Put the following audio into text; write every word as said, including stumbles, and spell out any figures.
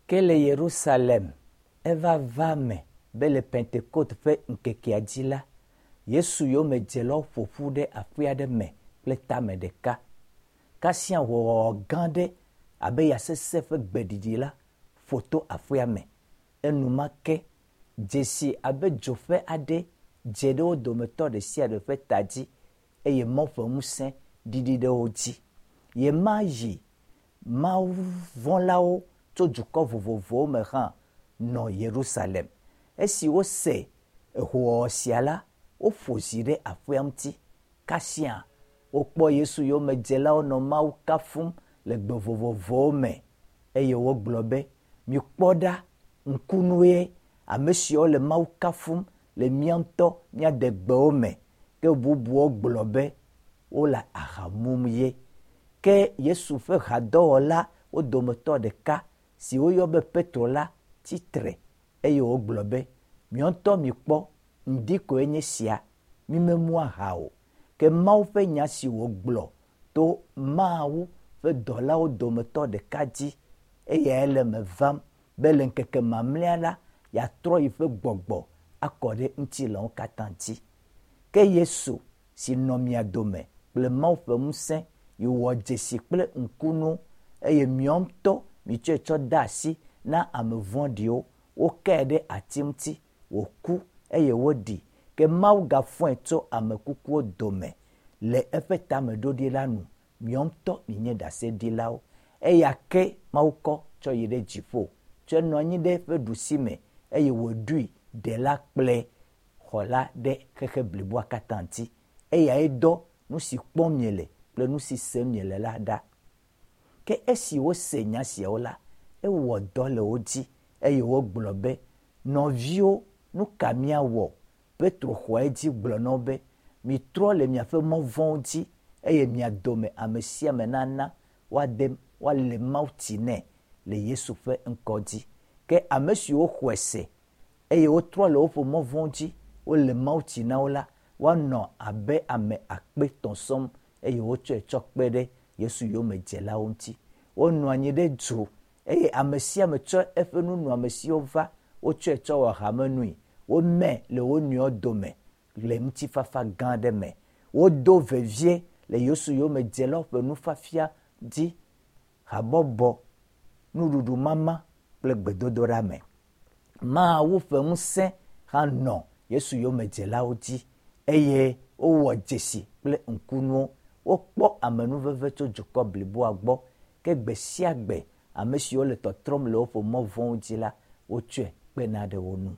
Ke le Yerusalem eva va me be le Pentekoste ƒe ŋkekea dzi la, Yesu yomedzelawo ƒo ƒu ɖe aƒe aɖe me kple tame ɖeka. Kasia hoowɔwɔ gã aɖe abe ya sesẽ ƒe gbeɖiɖi la ƒo to aƒea me. Enumake dzesi abe dzoƒe aɖe dze ɖe wo dometɔ ɖe sia ɖe ƒe ta dzi eye Mawu ƒe ŋusẽ ɖiɖi ɖe wo dzi. Ɣemaɣi mawuvɔ̃lawo tso dukɔ vovovowo me hã nɔ Yerusalem. Esi wose hoowɔwɔ sia la, woƒo zi ɖe aƒea ŋuti. Kasia wokpɔ Yesu yomedzelawo nɔ Mawu kafum le gbe vovovowo me eye wogblɔ be, mikpɔ ɖa, ŋkunue ame siawo le Mawu kafum le mía ŋutɔ mía degbewo me. Ke bubuwo gblɔ be wole aha mum ye. Ke Yesu ƒe hadɔwɔla wo dometɔ ɖeka si woyɔ be Petro la tsitre eye wògblɔ be, miɔ ŋutɔ mikpɔ, ŋdi koe nye sia, mímemu aha o. Ke Mawu ƒe nya si wògblɔ to Mawu ƒe dɔlawo dometɔ ɖeka dzi eyae le me vam be le ŋkeke mamlɛa la, yeatrɔ yiƒe gbɔgbɔ akɔ ɖe ŋutilãwo katã dzi. Ke Yesu si nɔ mia dome kple Mawu ƒe ŋusẽ yi wɔ dzesi kple ŋkunu eye miɔ ŋutɔ mitsɔe tsɔ de asi na ame vɔ̃ɖiwo, wokae ɖe ati ŋuti, wòku eye woɖi. Ke Mawu gafɔe tso ame kukuwo dome le eƒe tameɖoɖi la nu. Miɔ ŋutɔ mienye ɖaseɖilawo. Eya ke Mawu kɔ tsɔ yi ɖe dziƒo, tsɔe nɔ anyi ɖe eƒe ɖusime eye wòɖoe ɖela kple xɔla ɖe xexe bliboa katã ŋuti. Eyae dɔ nu si kpɔm miele kple nu si sem miele la ɖa. Ke esi wose nya siawo la, ewɔ dɔ le wo dzi eye wogblɔ be, nɔviwo, nu ka míawɔ? Petro xɔ edzi gblɔ na wo be, mitrɔ le miaƒe mɔ vɔ̃wo dzi eye mia dome ame sia ame nana woade woale Mawu tsi nɛ le Yesu ƒe ŋkɔ dzi. Ke ame siwo xɔe se eye wotrɔ le woƒe mɔ vɔ̃wo dzi, wole Mawu tsi na wo la, woanɔ abe ame akpe etɔ̃ sɔŋ eye wotsɔe tsɔ kpe ɖe Yesu yomedzelawo ŋuti. Wonɔ anyi ɖe du eye ame sia ame tsɔ eƒe nunɔamesiwo va, wotsɔe tsɔ wɔ hamenui. Womɛ le wo nɔewo dome le ŋutifafa gã aɖe me. Wodo vevie le Yesu yomedzelawo ƒe nufiafia dzi, habɔbɔ, nuɖuɖu mama kple gbedodoɖa me. Mawu ƒe ŋusẽ hã nɔ Yesu yomedzelawo dzi eye wowɔ dzesi kple ŋkunuwo. Wokpɔ amenuveve tso dukɔ bliboa gbɔ. Ke gbe sia gbe ame siwo le tɔtrɔm le woƒe mɔ vɔ̃wo dzi la, wotsɔe kpena ɖe wo ŋu.